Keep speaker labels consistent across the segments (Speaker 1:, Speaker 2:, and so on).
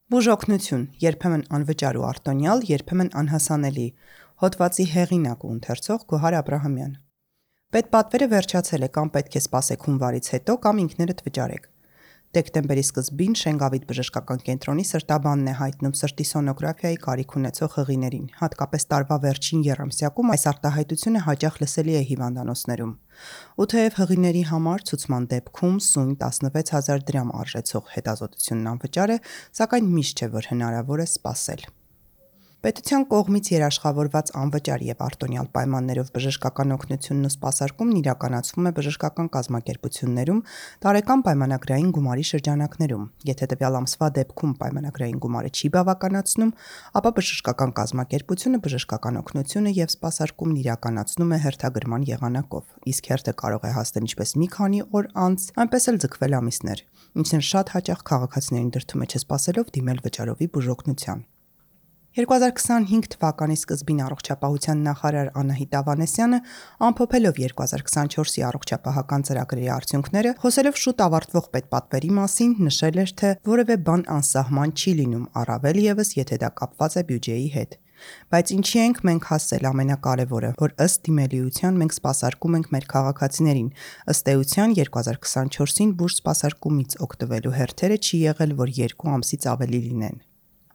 Speaker 1: Բուժօգնություն, երբեմն անվճար ու արտոնյալ, երբեմն անհասանելի։ Հոդվածի հեղինակ ու ընթերցող Գոհար Աբրահամյան։ Պետպատվերը վերջացել է, կամ պետք է սպասեք հունվարից հետո, կամ ինքներդ վճարեք։ Դեկտեմբերի սկզբին Շենգավիթ բժշկական կենտրոնի սրտաբանն է հայտնում սրտի սոնոգրաֆիայի կարիք ունեցող հղիներին, հատկապես տարվա վերջին եռամսյակում այս արտահայտությունը հաճախ լսելի է հիվանդանոցներում։ Ու թեև հղիների համար ցուցման դեպքում սույն 16,000 դրամ արժեցող հետազոտությունն անվճար է, սակայն միշտ չէ, որ հնարավոր է սպասել։ Պետության կողմից երաշխավորված անվճար եւ արտոնյալ պայմաններով բժշկական օգնությունն ու սպասարկումն իրականացվում է բժշկական կազմակերպություններում տարեկան պայմանագրային գումարի շրջանակներում։ Եթե տվյալ ամսվա դեպքում պայմանագրային գումարը չի բավականացնում, ապա բժշկական կազմակերպությունը բժշկական օգնությունը եւ սպասարկումն իրականացնում է հերթագրման եղանակով, իսկ հերթը կարող է հասնել ինչպես մի քանի օր անց, այնպես էլ ձգվել ամիսներ, ինչն շատ հաճախ քաղաքացիներին դրդում է չսպասելով դիմել վճարովի բուժօգնության։ 2025 թվականի սկզբին առողջապահության նախարար Անահիտ Ավանեսյանը, ամփոփելով 2024-ի առողջապահական ծրագրերի արդյունքները, խոսելով շուտ ավարտվող պետպատվերի մասին, նշել էր, թե որևէ բան անսահման չի լինում, առավել ևս, եթե դա կապված է բյուջեի հետ։ Բայց ինչի ենք մենք հասել ամենակարևորը, որ ըստ դիմելիության մենք սպասարկում ենք մեր քաղաքացիներին, ըստ էության 2024-ին բուժ սպասարկումից օգտվելու հերթերը չի եղել, որ 2 ամսից ավելի լինեն։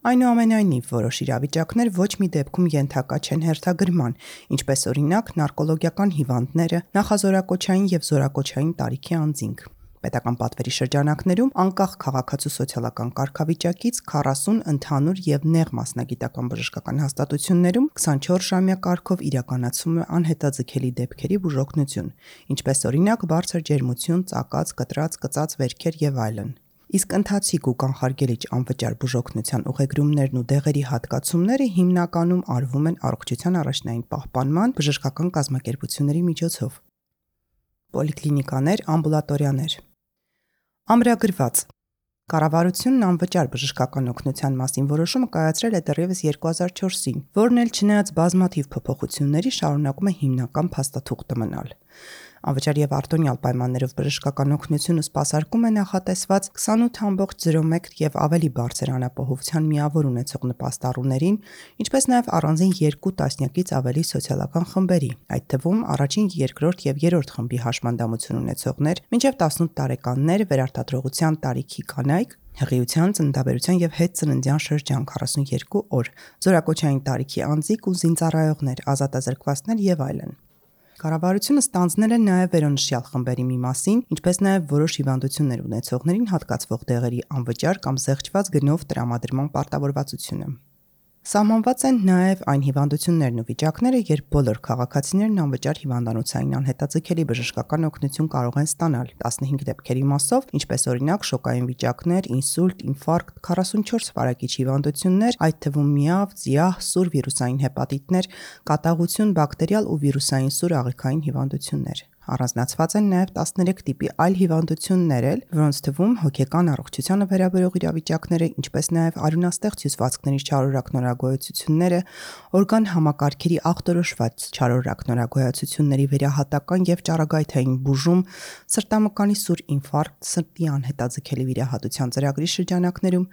Speaker 1: Այնուամենայնիվ, որոշ իրավիճակներ ոչ մի դեպքում ենթակա չեն հերթագրման, ինչպես օրինակ նարկոլոգիական հիվանդները, նախազորակոչային եւ զորակոչային տարիքի անձինք։ Պետական պատվերի շրջանակներում անկախ քաղաքացու սոցիալական կարգավիճակից 40 ընդհանուր եւ նեղ մասնագիտական բժշկական հաստատություններում 24-ժամյա կարգով իրականացվում է անհետաձգելի դեպքերի բուժօգնություն, ինչպես օրինակ բարձր ջերմություն, ծակած, կտրած, կծած վերքեր եւ այլն։ Իսկ ընթացիկ ու կանխարգելիչ անվճար բուժօգնության ուղեգրումներն ու դեղերի հատկացումները հիմնականում արվում են առողջության առաջնային պահպանման բժշկական կազմակերպությունների միջոցով։ Պոլիկլինիկաներ, ամբուլատորիաներ։ Ամրագրված Կառավարությունն անվճար բժշկական օգնության մասին որոշումը կայացրել է դեռևս 2004-ին, որն էլ չնայած բազմաթիվ փոփոխությունների շարունակում է հիմնական փաստաթուղթը մնալ։ Անվճար եւ արտոնյալ պայմաններով բժշկական օգնությունը սպասարկում է նախատեսված 28.01 եւ ավելի բարձր անապահովության միավոր ունեցող նպաստառուներին, ինչպես նաեւ առանձին 2 տասնյակից ավելի սոցիալական խմբերի, այդ թվում առաջին, երկրորդ եւ երրորդ խմբի հաշմանդամություն ունեցողներ, մինչեւ 18 տարեկաններ, վերարտադրողության տարիքի կանայք, հղիության, ծննդաբերության եւ հետծննդյան շրջան 42 օր, զորակոչային տարիքի անձիկ ու զինծառայողներ, ազատազրկվածներ եւ այլն։ Կառավարությունը ստանձնել է նաև վերոնշյալ խմբերի մի մասին, ինչպես նաև որոշ հիվանդություններ ունեցողներին հատկացվող դեղերի անվճար կամ զեղչված գնով տրամադրման պարտավորվածությունը։ Սահմանված են նաև այն հիվանդություններն ու վիճակները, երբ բոլոր քաղաքացիներն անվճար հիվանդանոցային անհետաձգելի բժշկական օգնություն կարող են ստանալ 15 դեպքերի մասով, ինչպես օրինակ շոկային վիճակներ, ինսուլտ, ինֆարկտ, 44 վարակիչ հիվանդություններ, այդ թվում միավ, ձիահ, սուր վիրուսային հեպատիտներ, կատաղություն, բակտերիալ ու վիրուսային սուր աղիքային հիվանդություններ։ Առանձնացված են նաև 13 տիպի այլ հիվանդություններ, որոնց թվում հոգեկան առողջությանը վերաբերող իրավիճակները, ինչպես նաև արյունաստեղծ հյուսվածքների չարորակ նորագոյացությունները, օրգան համակարգերի ախտորոշված չարորակ նորագոյացությունների վերահատական եւ ճառագայթային բուժում, սրտամկանի սուր ինֆարկտ, սրտի անհետաձգելի վիրահատության ծրագրի շրջանակներում,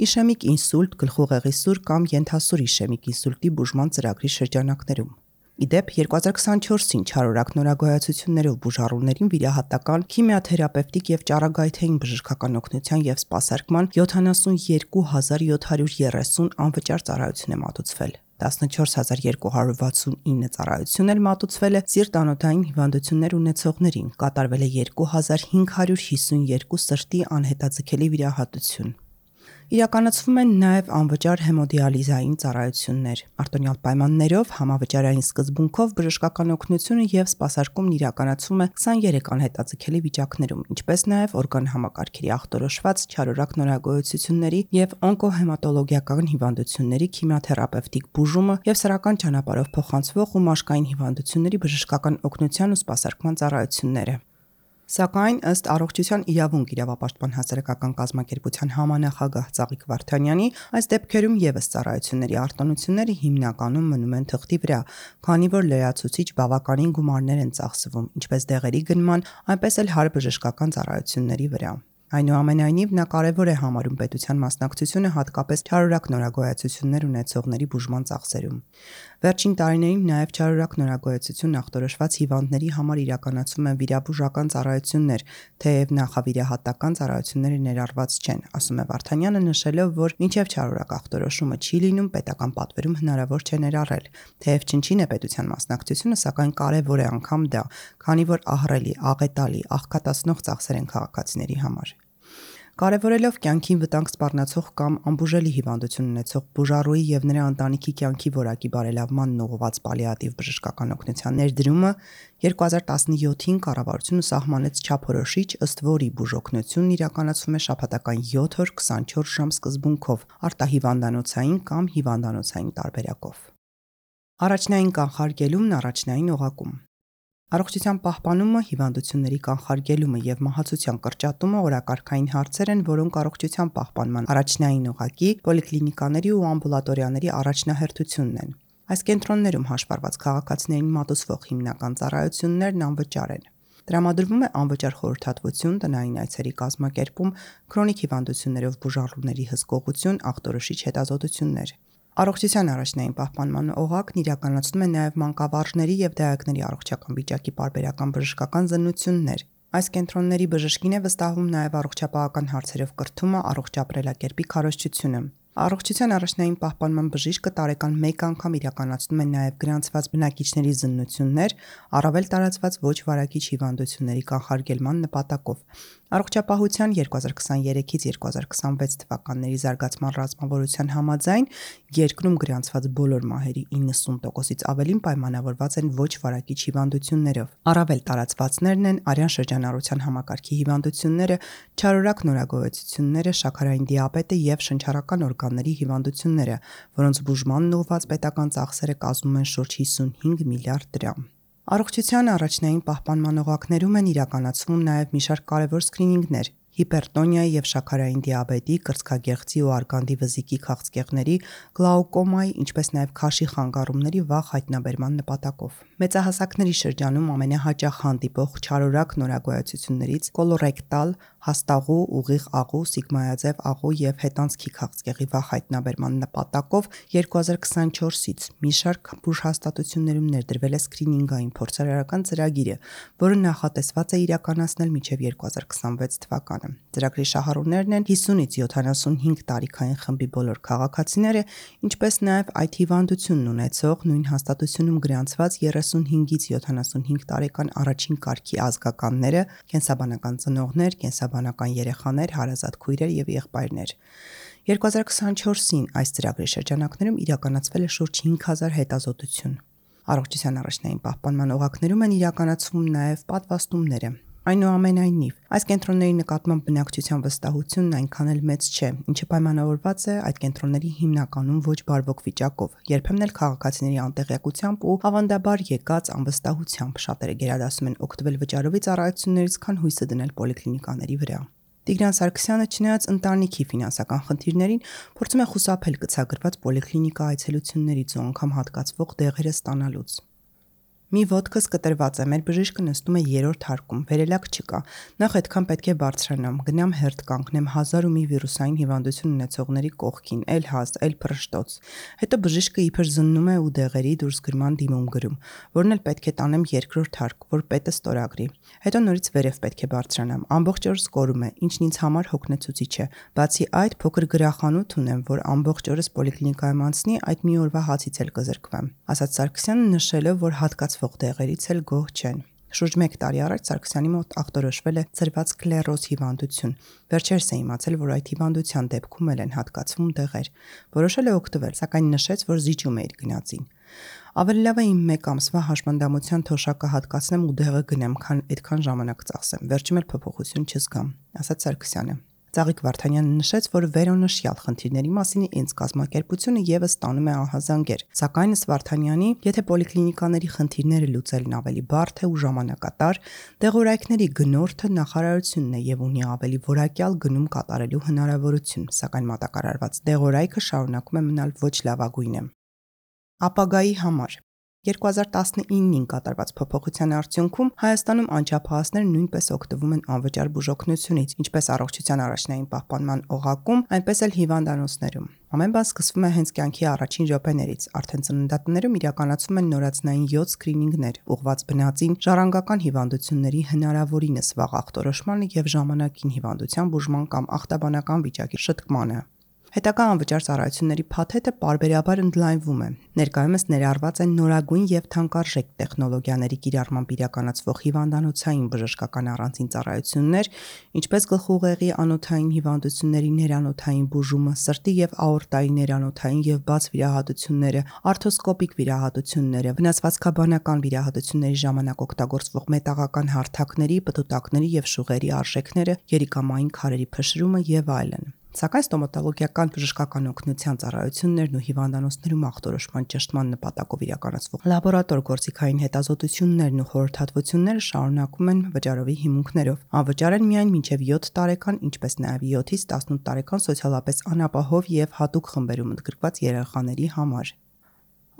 Speaker 1: իշեմիկ ինսուլտ, գլխուղեղի սուր կամ ենթասուր իշեմիկ ինսուլտի բուժման ծրագրի շրջանակներում։ Իդեպ 2024-ին չարորակ նորագոյացություններով բուժառուներին վիրահատական, քիմիաթերապևտիկ եւ ճառագայթային բժշկական օգնության եւ սպասարկման 72730 անվճար ծառայություն է մատուցվել։ 14269 ծառայություն էլ մատուցվել է սիրտ-անոթային հիվանդություններ ունեցողներին, կատարվել է 2552 սրտի անհետաձգելի վիրահատություն։ Իրականացվում են նաև անվճար հեմոդիալիզային ծառայություններ։ Արտոնյալ պայմաններով համավճարային սկզբունքով բժշկական օգնությունը եւ սպասարկումն իրականացվում է 23 անհետաձգելի վիճակներում, ինչպես նաև օրգան համակարգերի ախտորոշված չարորակ նորագոյացությունների եւ օնկոհեմատոլոգիական հիվանդությունների քիմիաթերապևտիկ բուժումը եւ սեռական ճանապարհով փոխանցվող ու մաշկային հիվանդությունների բժշկական օգնության ու սպասարկման ծառայությունները։ Սակայն ըստ Առողջության իրավունք իրավապաշտպան հասարակական կազմակերպության համանախագահ Ծաղիկ Վարդանյանի, այս դեպքերում ևս ծառայությունների արտոնությունները հիմնականում մնում են թղթի վրա, քանի որ լրացուցիչ բավականին գումարներ են ծախսվում, ինչպես դեղերի գնման, այնպես էլ հարբժշկական ծառայությունների վրա։ Այնուամենայնիվ նա կարևոր է համարում պետության մասնակցությունը հատկապես չարորակ նորագոյացություններ ունեցողների բուժման ծախսերում։ Վերջին տարիներին նաև չարորակ նորագոյացություն ախտորոշված հիվանդների համար իրականացվում են վիրաբուժական ծառայություններ, թեև նախավիրահատական ծառայությունները ներառված չեն, ասում է Վարդանյանը, նշելով, որ մինչև չարորակ ախտորոշումը չի լինում, պետական պատվերում հնարավոր չէ ներառել։ Թեև չնչին է պետության մասնակցությունը, սակայն կարևոր է անգամ դա, քանի որ ահռելի, աղետալի, աղքատացնող ծախսեր են քաղաքացիների համար։ Կարևորելով կյանքին վտանգ սպառնացող կամ անբուժելի հիվանդություն ունեցող բուժառուի եւ նրա ընտանիքի կյանքի որակի բարելավմանն ուղղված պալիատիվ բժշկական օգնության ներդրումը 2017-ին կառավարությունը սահմանեց չափորոշիչ, ըստ որի բուժօգնությունն իրականացվում է շաբաթական 7 օր 24 ժամ սկզբունքով, արտահիվանդանոցային կամ հիվանդանոցային տարբերակով։ Առաջնային կանխարգելումն առաջնային օղակում։ Առողջության պահպանումը, հիվանդությունների կանխարգելումը եւ մահացության կրճատումը օրակարգային հարցեր են, որոնք առողջության պահպանման առաջնային օղակի, պոլիկլինիկաների ու ամբուլատորիաների առաջնահերթությունն են։ Այս կենտրոններում հաշվառված քաղաքացիներին մատուցվող հիմնական ծառայություններն անվճար են։ Տրամադրվում է անվճար խորհրդատվություն, տնային այցերի կազմակերպում, քրոնիկ հիվանդություններով բուժառուների հսկողություն, ախտորոշիչ հետազոտություններ։ Առողջության առաջնային պահպանման օղակն իրականացնում է նաև մանկավարժների եւ դիակների առողջական վիճակի պարբերական բժշկական զննություններ։ Այս կենտրոնների բժշկին է վստահվում նաև առողջապահական հարցերով կրթումը, առողջ ապրելակերպի քարոզչությունը։ Առողջության առաջնային պահպանման բժիշկը տարեկան 1 անգամ իրականացնում է նաև գրանցված բնակիչների զննություններ, առավել տարածված ոչ վարակիչ հիվանդությունների կանխարգելման նպատակով։ Առողջապահության 2023-ից 2026 թվականների զարգացման ռազմավարության համաձայն երկրում գրանցված բոլոր մահերի 90%-ից ավելին պայմանավորված են ոչ վարակիչ հիվանդություններով։ Առավել տարածվածներն են արյան շրջանառության համակարգի հիվանդությունները, չարորակ նորագոյացությունները, շաքարային դիաբետը եւ շնչառական օրգանների հիվանդությունները, որոնց բուժմանն ուղղված պետական ծախսերը կազմում են շուրջ 55 միլիարդ դրամ։ Առողջության առաջնային պահպանման օղակներում են իրականացվում նաև մի շարք կարևոր սկրինինգներ՝ հիպերտոնիայի եւ շաքարային դիաբետի, կրծքագեղձի ու արգանդի վզիկի քաղցկեղների, գլաուկոմայի, ինչպես նաև քաշի խանգարումների վաղ հայտնաբերման նպատակով։ Մեծահասակների շրջանում ամենահաճախ հանդիպող չարորակ նորագոյացություններից կոլորեկտալ, հաստաղու, ուղիղ աղու, սիգմայաձև աղու եւ հետանցքի քաղցկեղի վաղ հայտնաբերման նպատակով 2024-ից մի շարք բուժհաստատություններում ներդրվել է սկրինինգային փորձարարական ծրագիրը, որը նախատեսված է իրականացնել մինչև 2026 թվականը։ Ծրագրի շահառուներն են 50-ից 75 տարիքային խմբի բոլոր քաղաքացիները, ինչպես նաև այդ հիվանդությունն ունեցող նույն հաստատությունում գրանցված 35-ից 75 տարեկան առաջին կարգի ազգականները, կենսաբանական ծնողներ, կենսաբանական երեխաներ, հարազատ քույրեր եւ եղբայրներ։ 2024-ին այս ծրագրի շրջանակներում իրականացվել է շուրջ 5000 հետազոտություն։ Առողջության առաջնային պահպանման օղակներում են իրականացվում նաև պատվաստումները։ Այնուամենայնիվ, այս կենտրոնների նկատմամբ բնակչության վստահությունն այնքան էլ մեծ չէ, ինչը պայմանավորված է այդ կենտրոնների հիմնականում ոչ բարվոք վիճակով, երբեմն էլ քաղաքացիների անտեղյակությամբ ու ավանդաբար եկած անվստահությամբ։ Շատերը գերադասում են օգտվել վճարովի ծառայություններից, քան հույսը դնել պոլիկլինիկաների վրա։ Տիգրան Սարգսյանը, չնայած ընտանիքի ֆինանսական խնդիրներին, փորձում է խուսափել գծագրված պոլիկլինիկա այցելություններից ու անգամ հատկացվող դեղերը ստանալուց։ Մի ոտքս կտրված է, մեր բժիշկը նստում է 3-րդ հարկում, վերելակ չկա։ Նախ այդքան պետք է բարձրանամ, գնամ հերթ կանգնեմ 1000 ու մի վիրուսային հիվանդություն ունեցողների կողքին, էլ հաստ, էլ փռշտոց։ Հետո բժիշկը իբր զննում է ու դեղերի դուրսգրման դիմում գրում, որն էլ պետք է տանեմ 2-րդ հարկ, որ պետը ստորագրի։ Հետո նորից վերև պետք է բարձրանամ, ամբողջ օրս կորում է, ինչն ինձ համար հոգնեցուցիչ է։ Բացի այդ, փոքր գրախանութ ունեմ, որ ամբողջ օրս պոլիկլինիկայում անցնի, այդ մի օրվա հացից էլ կզրկվեմ, ասաց Սարգսյանը, նշելով, որ հատկացվող դեղերից էլ գոհ չեն։ Շուրջ 1 տարի առաջ Սարգսյանի մոտ ախտորոշվել է ցրված սկլերոզ հիվանդություն։ Վերջերս է իմացել, որ այդ հիվանդության դեպքում էլ են հատկացվում դեղեր։ Որոշել է օգտվել, սակայն նշեց, որ զիջում է իր գնացին։ Ավելի լավ է իմ 1 ամսվա հաշմանդամության թոշակը հատկացնեմ ու դեղը գնեմ, քան այդքան ժամանակ ծախսեմ։ Վերջում էլ փոփոխություն չզգամ, ասաց Սարգսյանը։ Ծաղիկ Վարդանյանը նշեց, որ վերոնշյալ խնդիրների մասին ինձ կազմակերպությունը եւս ստանում է ահազանգեր։ Սակայն ըստ Վարդանյանի, եթե պոլիկլինիկաների խնդիրները լուծելն ավելի բարդ է ու ժամանակատար, դեղորայքների գնորդը նախարարությունն է եւ ունի ավելի որակյալ գնում կատարելու հնարավորություն, սակայն մատակարարված դեղորայքը շարունակում է մնալ ոչ լավագույնը։ Ապագայի համար 2019-ին կատարված փոփոխության արդյունքում Հայաստանում անչափահասները նույնպես օգտվում են անվճար բուժօգնությունից, ինչպես առողջության առաջնային պահպանման օղակում, այնպես էլ հիվանդանոցներում։ Ամեն բան սկսվում է հենց կյանքի առաջին րոպեներից։ Արդեն ծննդատներում իրականացվում են նորածնային 7 սկրինինգներ, ուղղված բնածին, ժառանգական հիվանդությունների հնարավորինս վաղ ախտորոշմանը եւ ժամանակին հիվանդության բուժման կամ ախտաբանական վիճակի շտկմանը։ Հետագա անվճար ծառայությունների փաթեթը պարբերաբար ընդլայնվում է։ Ներկայումս ներառված են նորագույն եւ թանկարժեք տեխնոլոգիաների կիրառմամբ իրականացվող հիվանդանոցային բժշկական առանձին ծառայություններ, ինչպես գլխուղեղի անոթային հիվանդությունների ներանոթային բուժումը, սրտի եւ աորտայի ներանոթային եւ բաց վիրահատությունները, արթրոսկոպիկ վիրահատությունները, վնասվածքաբանական վիրահատությունների ժամանակ օգտագործվող մետաղական հարթակների, պտուտակների եւ շուղերի արժեքները, երիկամային քարերի փշրումը եւ այլն։ Սակայն ստոմատոլոգիական բժշկական օգնության ծառայություններն ու հիվանդանոցներում ախտորոշման ճշտման նպատակով իրականացվող լաբորատոր գործիքային հետազոտություններն ու խորհրդատվությունները շարունակվում են վճարովի հիմունքներով։ Անվճար են միայն մինչև 7 տարեկան, ինչպես նաև 7-ից 18 տարեկան սոցիալապես անապահով եւ հատուկ խմբերում ընդգրկված երեխաների համար։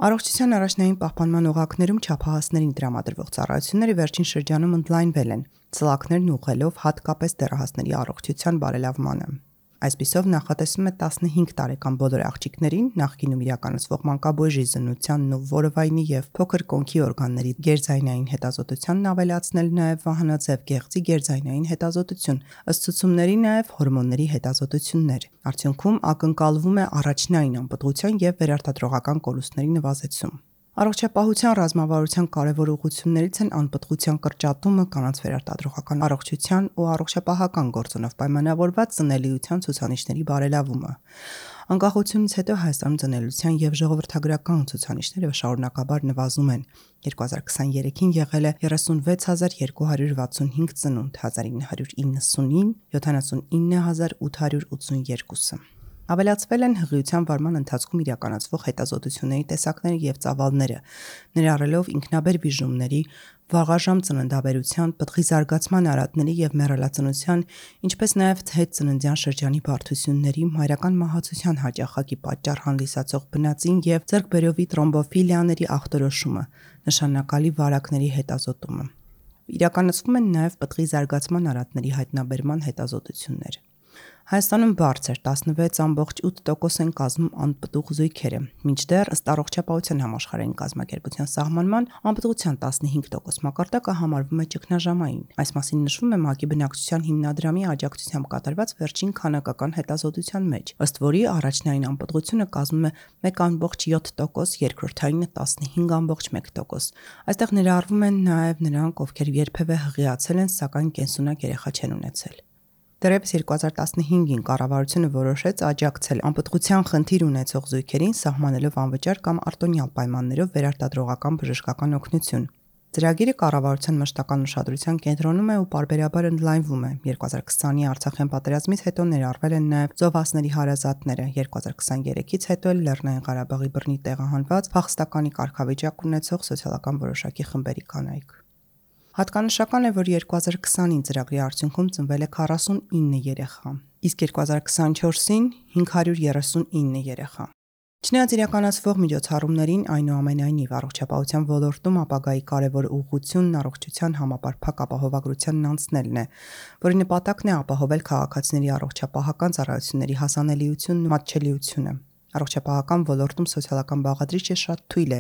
Speaker 1: Առողջության առաջնային պահպանման օղակներում չափահասներին տրամադրվող ծառայությունները վերջին շրջանում ընդլայնվել են, ծլակներն ուղղելով հատկապես դեռահասների առողջության բարելավմանը։ Այսպիսով նախատեսվում է 15 տարեկան բոլոր աղջիկներին նախկինում իրականացվող մանկաբույժի զննությանն ու որովայնի եւ փոքր կոնքի օրգանների գերձայնային հետազոտությանն ավելացնել նաեւ վահանաձև գեղձի գերձայնային հետազոտություն, ըստ ցուցումների նաեւ հորմոնների հետազոտություններ։ Արդյունքում ակնկալվում է առաջնային անպտղության եւ վերարտադրողական կորուստների նվազեցում։ Առողջապահության ռազմավարության կարևոր ուղղություններից են անպտղության կրճատումը, կանանց վերարտադրողական առողջության ու առողջապահական գործոնով պայմանավորված ծնելիության ցուցանիշների բարելավումը։ Անկախությունից հետո Հայաստանում ծնելիության եւ ժողովրդագրական ցուցանիշները շարունակաբար նվազում են։ 2023-ին եղել է 36265 ծնունդ, 1990-ին 79882։ Ավելացվել են հղիության վարման ընթացքում իրականացվող հետազոտությունների տեսակները եւ ծավալները, ներառելով ինքնաբեր բիժումների, վաղաժամ ծննդաբերության, պտղի զարգացման արատների եւ մեռելածնության, ինչպես նաեւ հետծննդյան շրջանի բարդությունների, մայրական մահացության հաճախակի պատճառ հանդիսացող բնածին եւ ձեռքբերովի տրոմբոֆիլիաների ախտորոշումը, նշանակալի վարակների հետազոտումը։ Իրականացվում են նաեւ պտղի զարգացման արատների հայտնաբերման հետազոտություններ։ Հայաստանում բարձր 16.8% են կազմում անպտուղ զույգերը, մինչդեռ ըստ առողջապահության համաշխարհային կազմակերպության սահմանման անպտղության 15% մակարդակը համարվում է ճգնաժամային։ Այս մասին նշվում է ՄԱԿ-ի բնակչության հիմնադրամի աջակցությամբ կատարված վերջին քանակական հետազոտության մեջ, ըստ որի առաջնային անպտղությունը կազմում է 1.7%, երկրորդայինը 15.1%։ Այստեղ ներառվում են նաև նրանք, ովքեր երբևէ հղիացել են, սակայն կենսունակ երեխա չեն ունեցել։ Դեռևս 2015-ին կառավարությունը որոշեց աջակցել անպտղության խնդիր ունեցող զույգերին սահմանելով անվճար կամ արտոնյալ պայմաններով վերարտադրողական բժշկական օգնություն։ Ծրագիրը կառավարության մշտական ուշադրության կենտրոնում է ու պարբերաբար ընդլայնվում է։ 2020-ի Արցախյան պատերազմից հետո ներառվել են նաև զովասների հարազատները, 2023-ից հետո էլ Լեռնային Ղարաբաղի բռնի տեղահանված փախստականի կարգավիճակ ունեցող սոցիալական որոշակի խմբերի կանայք։ Հատկանշական է, որ 2020-ին ծրագրի արդյունքում ծնվել է 49 երեխա, իսկ 2024-ին 539 երեխա։ Չնայած իրականացվող միջոցառումներին, այնուամենայնիվ առողջապահության ոլորտում ապագայի կարևոր ուղղությունն առողջության համապարփակ ապահովագրությանն անցնելն է, որի նպատակն է ապահովել քաղաքացիների առողջապահական ծառայությունների հասանելիությունն ու մատչելիությունը։ Առողջապահական ոլորտում սոցիալական բաղադրիչը շատ թույլ է,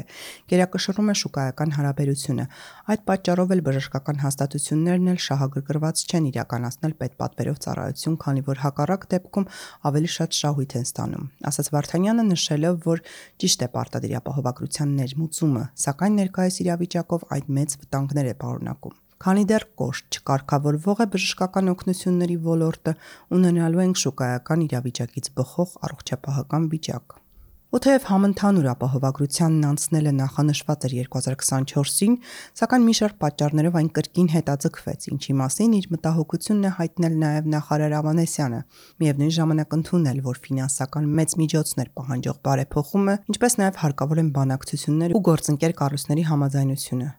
Speaker 1: գերակշռում է շուկայական հարաբերությունը։ Այդ պատճառով էլ բժշկական հաստատություններն էլ շահագրգռված չեն իրականացնել պետպատվերով ծառայություն, քանի որ հակառակ դեպքում ավելի շատ շահույթ են ստանում, ասաց Վարդանյանը, նշելով, որ ճիշտ է պարտադիր ապահովագրության ներմուծումը, սակայն ներկայիս իրավիճակով այդ մեծ վտանգներ է պարունակում։ Քանի դեռ կոշտ չկարգավորվող է բժշկական օգնությունների ոլորտը, ունենալու ենք շուկայական իրավիճակից բխող առողջապահական վիճակ։ Ու թեև համընդհանուր ապահովագրությանն անցնելը նախանշված էր 2024-ին, սակայն մի շարք պատճառներով այն կրկին հետաձգվեց, ինչի մասին իր մտահոգությունն է հայտնել նաև նախարար Ավանեսյանը, միևնույն ժամանակ ընդունել, որ ֆինանսական մեծ միջոցներ պահանջող բարեփոխումը, ինչպես նաև հարկավոր են բանակցություններ ու գործընկեր կառույցների համաձայնությունը։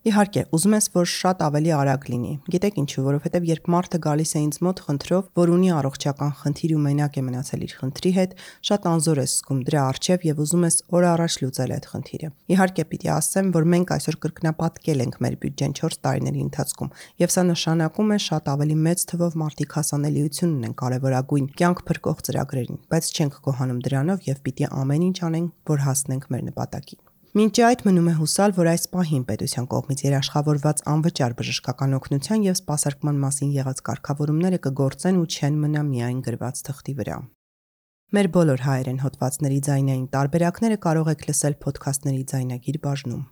Speaker 1: Իհարկե, ուզում ես, որ շատ ավելի արագ լինի։ Գիտեք ինչու, որովհետև երբ մարդը գալիս է ինձ մոտ խնդրով, որ ունի առողջական խնդիր ու մենակ է մնացել իր խնդրի հետ, շատ անզոր ես զգում դրա առջև եւ ուզում ես օր առաջ լուծել այդ խնդիրը։ Իհարկե, պիտի ասեմ, որ մենք այսօր կրկնապատկել ենք մեր բյուջեն 4 տարիների ընթացքում, եւ սա նշանակում է շատ ավելի մեծ թվով մարդիկ հասանելիություն ունեն կարևորագույն կյանք փրկող ծրագրերին, բայց չենք գոհանում դրանով եւ պիտի ամեն ինչ անենք, որ հասնենք մեր նպատակին։ Մինչ այդ մնում է հուսալ, որ այս պահին պետության կողմից երաշխավորված անվճար բժշկական օգնության եւ սպասարկման մասին եղած կարգավորումները կգործեն ու չեն մնա միայն գրված թղթի վրա։ Մեր բոլոր հայերեն հոդվածների ձայնային տարբերակները կարող եք լսել ոդքասթների ձայնագիր բաժնում։